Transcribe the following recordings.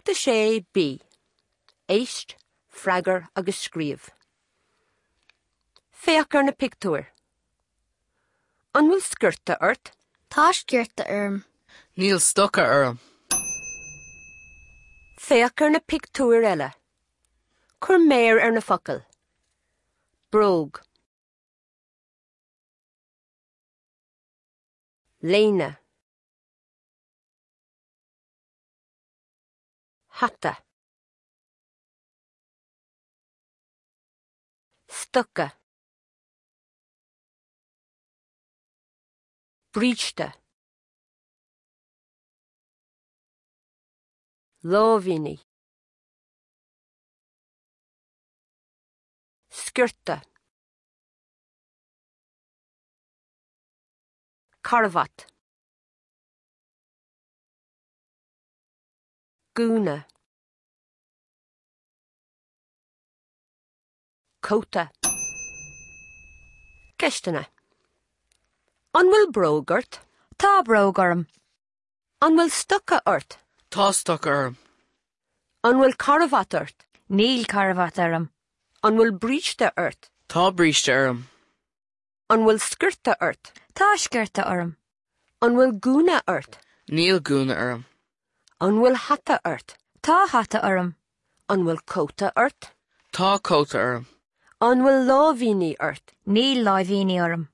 Ceacht 6 B. Éist, freagair agus scríobh. Féach ar na pictiúir. An bhfuil sciorta ort? Tá sciorta orm. Níl stoca orm. Féach ar na pictiúir eile. Cuir méar ar na focail. Bróg. Léine. Hata. Stoca. Bríste. Láimhíní. Sciorta. Carbhat. Gúna. Cóta. Ceisteanna. An bhfuil bróg ort? Tá bróg orm. An bhfuil stoca ort? Tá stoca orm. An bhfuil carbhat ort? Níl carbhat orm. An bhfuil bríste ort? Tá bríste orm. An bhfuil sciorta ort? Tá sciorta orm. An bhfuil gúna ort? Níl gúna orm. An bhfuil hata ort? Tá hata orm. An bhfuil cóta ort? Tá cóta orm. An bhfuil láimhíní ort? Níl láimhíní orm.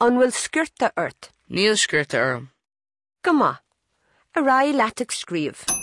An bhfuil sciorta ort? Níl sciorta orm. Go maith. Ar aghaidh leat ag scríobh.